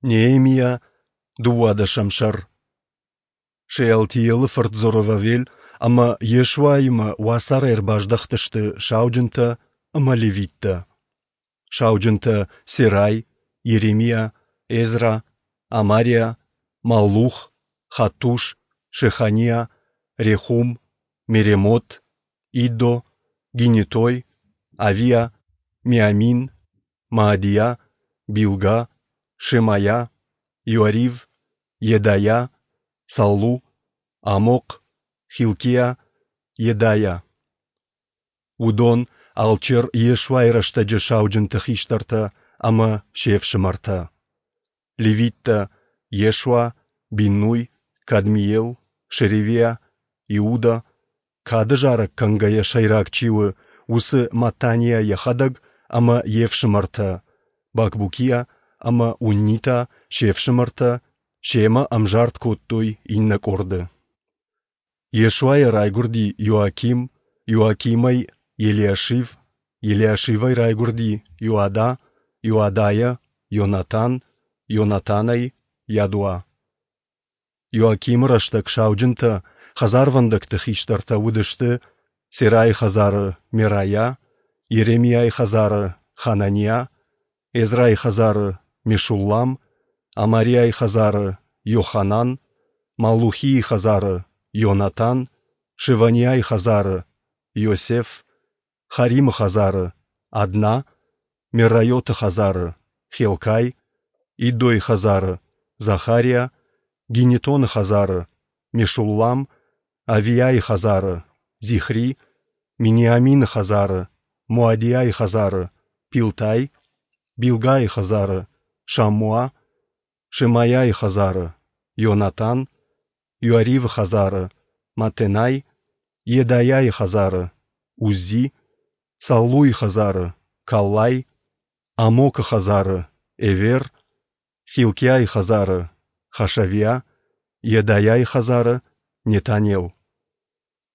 Неемиа, дыууадӕсӕм сӕр. Шеалтиелы фырт Зоровавел ӕмӕ Йешуаимӕ уацарӕй ӕрбаздӕхтысты сауджынтӕ ӕмӕ левиттӕ. Сауджынтӕ Серай, Йеремиа, Езра, Амариа, Маллух, Хаттуш, Шеханиа, Рехум, Меремот, Иддо, Гинетой, Авиа, Миамин, Маадиа, Билга, Шемайа, Иоарив, Йедайа, Саллу, Амохъ, Хилкиа, Йедайа. Уыдон алчер Йешуайы рӕстӕджы сауджынты хистӕртӕ ӕмӕ се фсымӕртӕ. Левиттӕ Йешуа, Биннуй, Кадмиел, Шеревиа, Иуда, кады зарӕг кӕнгӕйӕ сӕйраг чи у, уыцы Маттаниа йӕхӕдӕг ӕмӕ йе фсымӕртӕ, Бакбукиа ӕмӕ Унни та се фсымӕртӕ, семӕ ӕмзард кодтой иннӕ къорды. Йешуайӕ райгуырди Иоаким, Иоакимӕй Елиашив, Елиашивӕй райгуырди Иоада, Иоадайӕ Йонатан, Йонатанӕй Ядуа. Иоакимы рӕстӕг сауджынтӕ, хӕдзарвӕндӕгты хистӕртӕ уыдысты Серайы хӕдзары Мерайа, Йеремиайы хӕдзары Хананиа, Эзрайы хӕдзары Мешуллам, Амариайы хӕдзары Йоханан, Маллухийы хӕдзары Йонатан, Шеваниайы хӕдзары Иосеф, Харимы хӕдзары Адна, Мерайоты хӕдзары Хелкай, Иддойы хӕдзары Захариа, Гинетоны хӕдзары Мешуллам, Авиайы хӕдзары Зихри, Миниамины хӕдзары Моадиайы хӕдзары Пилтай, Билгайы хӕдзары Шаммуа, Шемайайы хӕдзары Йонатан, Иоаривы хӕдзары Матенай, Йедайӕйы хӕдзары Уззи, Саллуйы хӕдзары Каллай, Амокы хӕдзары Эвер, Хилкиайы хӕдзары Хашавиа, Йедайӕйы хӕдзары Нетанел.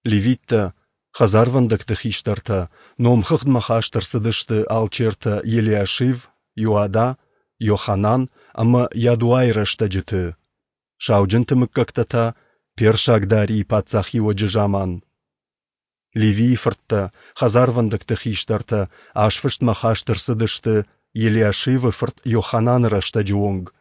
Левиттӕ, хӕдзарвӕндӕгты хистӕртӕ, номхыгъдмӕ хаст ӕрцыдысты алчертӕ Елиашив, Иоада, Йоханан ӕмӕ Йадуайы рӕстӕджыты, сауджынты мыггӕгтӕ та персаг Дарийы паддзахиуӕджы заман. Левийы фырттӕ, хӕдзарвӕндӕгты хистӕртӕ азфыстмӕ хаст ӕрцыдысты Елиашивы фырт Йохананы рӕстӕджы онг.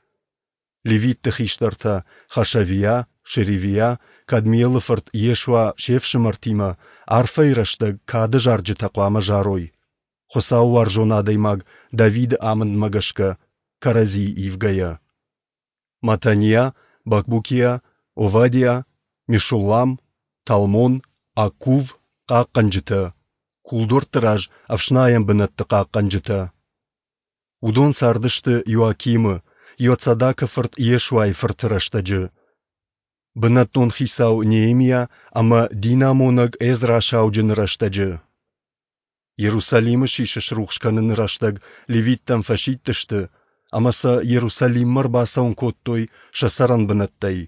Левитты хистӕртӕ Хашавиа, Шеревиа, Кадмиелы фырт Йешуа се фсымӕртимӕ арфӕйы рӕстӕг кады зарджытӕ хъуамӕ зарой, хуыцаууарзон адӕймаг Давиды амындмӕ гӕсгӕ, кӕрӕдзийы ивгӕйӕ. Матаниа, Бакбукиа, Овадиа, Мешуллам, Талмон, Аккув, хъахъхъӕнджытӕ, кулдуӕртты раз ӕфснайӕн бынӕтты хъахъхъӕнджытӕ. Уыдон цардысты Иоакимы, Иоцадакы фырт Йешуайы фырты рӕстӕджы. Бынӕттон хицау Неемиа ӕмӕ динамонӕг Эзра сауджыны рӕстӕджы. Иерусалимы сисы срухс кӕныны рӕстӕг левиттӕм фӕсидтысты ӕмӕ сӕ Иерусалиммӕ ӕрбацӕуын кодтой сӕ цӕрӕнбынӕттӕй,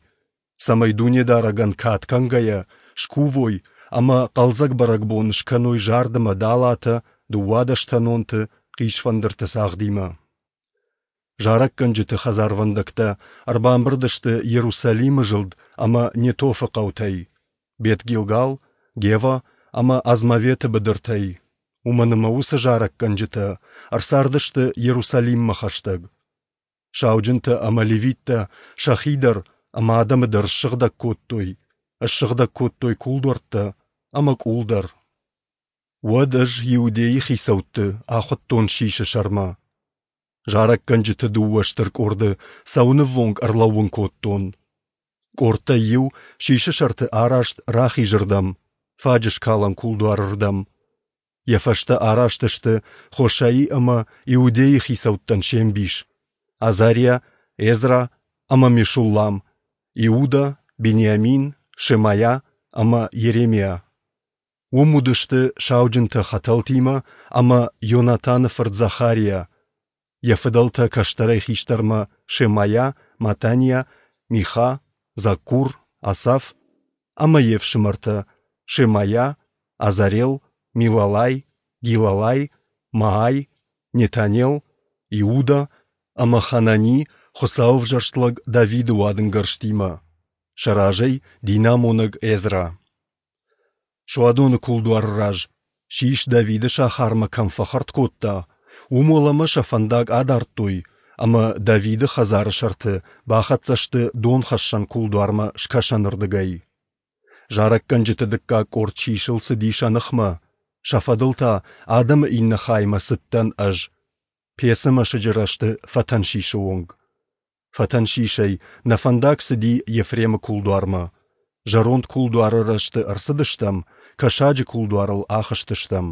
цӕмӕй Дунедарӕгӕн кад кӕнгӕйӕ скувой ӕмӕ хъӕлдзӕг бӕрӕгбон скӕной зард ӕмӕ далатӕ, дыууадӕстӕнонты, хъисфӕндырты цагъдимӕ. Зарӕггӕнджыты хӕдзарвӕндӕгтӕ ӕрбамбырд сты Иерусалимы зылд ӕмӕ Нетофы хъӕутӕй, Бет-Гилгал, Гева ӕмӕ Азмаветы быдыртӕй, уымӕн ӕмӕ уыцы зарӕггӕнджытӕ ӕрцардысты Иерусалиммӕ хӕстӕг. Сауджынтӕ ӕмӕ левиттӕ сӕхи дӕр ӕмӕ адӕмы дӕр ссыгъдӕг кодтой, ссыгъдӕг кодтой кулдуӕрттӕ ӕмӕ къул дӕр. Уӕд ӕз Иудейы хицӕутты ахуыдтон сисы сӕрмӕ. Зарӕггӕнджыты дыууӕ стыр къорды цӕуынӕввонг ӕрлӕууын кодтон. Къордтӕй иу сисы сӕрты араст рахизырдӕм, фаджыскалӕн кулдуарырдӕм. Йӕ фӕстӕ араст сты Хошаи ӕмӕ Иудейы хицӕуттӕн се мбис, Азариа, Эзра ӕмӕ Мешуллам, Иуда, Бениамин, Шемайа ӕмӕ Йеремиа. Уым уыдысты сауджынтӕ хӕтӕлтимӕ ӕмӕ Йонатаны фырт Захариа, йӕ фыдӕлтӕ кӕстӕрӕй хистӕрмӕ Шемайа, Матаниа, Миха, Заккур, Асаф ӕмӕ йе фсымӕртӕ Шемайа, Азарел, Милалай, Гилалай, Маай, Нетанел, Иуда ӕмӕ Ханани. Хуыцауы ӕвзӕрст лӕг Давиды уадынгӕрзтимӕ, сӕ разӕй динамонӕг Эзра. Суадоны кулдуары раз, сис Давиды сахармӕ кӕм фӕхӕрд кодта, уым уӕлӕмӕ сӕ фӕндаг адардтой ӕмӕ Давиды хӕдзары сӕрты бахӕццӕ сты донхӕссӕн кулдуармӕ скӕсӕнырдыгӕй. Зарӕггӕнджыты дыккаг къорд сисыл цыди сӕ ныхмӕ, сӕ фӕдыл та адӕмы иннӕ хаймӕ цыдтӕн ӕз, Пецы мӕсыджы рӕзты фӕтӕн сисы онг. Фӕтӕн сисӕй нӕ фӕндаг цыди Ефремы кулдуармӕ. Зӕронд кулдуары рӕзты ӕрцыдыстӕм, Кӕсаджы кулдуарыл ахызтыстӕм.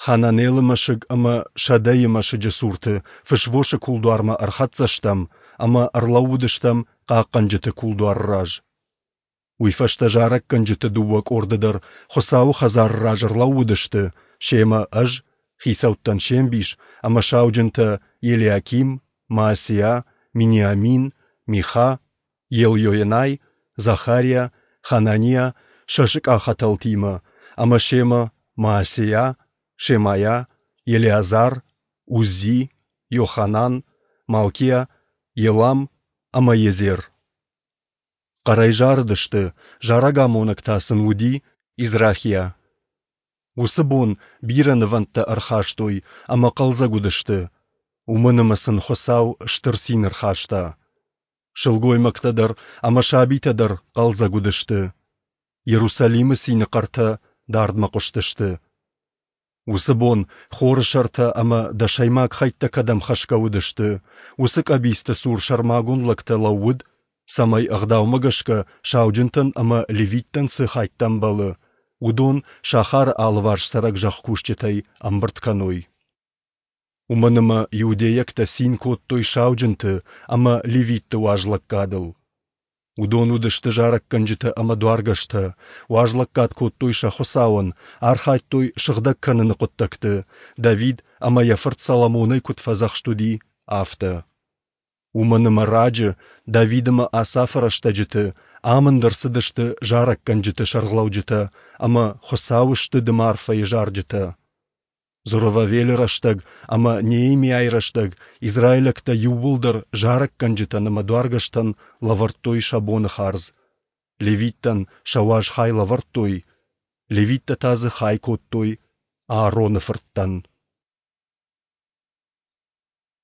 Хананелы мӕсыг ӕмӕ Сӕдӕйы мӕсыджы цурты Фысвосы кулдуармӕ ӕрхӕццӕ стӕм ӕмӕ ӕрлӕууыдыстӕм Хъахъхъӕнджыты кулдуары раз. Уый фӕстӕ зарӕггӕнджыты дыууӕ къорды дӕр Хуыцауы хӕдзары раз ӕрлӕууыдысты, семӕ ӕз, хицӕуттӕн се мбис, ӕмӕ сауджынтӕ Елиаким, Маасиа, Миниамин, Миха, Елйоенай, Захариа, Хананиа сӕ сыкъахӕтӕлтимӕ, ӕмӕ семӕ Маасейа, Шемайа, Елеазар, Уззи, Йоханан, Малкиа, Елам ӕмӕ Езер. Хъӕрӕй зарыдысты, зарӕгамонӕг та сын уыди Израхиа. Уыцы бон бирӕ нывӕндтӕ ӕрхастой ӕмӕ хъӕлдзӕг уыдысты, уымӕн ӕмӕ сын Хуыцау стыр цин ӕрхаста. Сылгоймӕгтӕ дӕр ӕмӕ сабитӕ дӕр хъӕлдзӕг уыдысты. Иерусалимы цины хъӕртӕ дардмӕ хъуыстысты. Уыцы бон хоры сӕртӕ ӕмӕ дӕсӕймаг хӕйттӕ кӕдӕм хӕсгӕ уыдысты, уыцы къӕбицты цур сӕрмагонд лӕгтӕ лӕууыд, цӕмӕй ӕгъдаумӕ гӕсгӕ сауджынтӕн ӕмӕ левиттӕн цы хӕйттӕ ӕмбӕлы, уыдон сахары алыварс цӕрӕг зӕхкусджытӕй ӕмбырд кӕной. Уымӕн ӕмӕ иудейӕгтӕ цин кодтой сауджынты ӕмӕ левитты уазлӕггадыл. Уыдон уыдысты зарӕггӕнджытӕ ӕмӕ дуаргӕстӕ, уазлӕггад кодтой сӕ Хуыцауӕн, архайдтой сыгъдӕг кӕныны хъуыддӕгты, Давид ӕмӕ йӕ фырт Соломонӕй куыд фӕдзӕхст уыди, афтӕ. Уымӕн ӕмӕ раджы, Давид ӕмӕ Асафы рӕстӕджыты, амынд ӕрцыдысты зарӕггӕнджыты сӕргълӕуджытӕ ӕмӕ Хуыцауы стыд ӕмӕ арфӕйы зарджытӕ. Зоровавелы рӕстӕг ӕмӕ Неемиайы рӕстӕг израилӕгтӕ иууылдӕр зарӕггӕнджытӕн ӕмӕ дуаргӕстӕн лӕвӕрдтой сӕ боны хардз. Левиттӕн сӕ уаз хай лӕвӕрдтой, левиттӕ та дзы хай кодтой Аароны фырттӕн.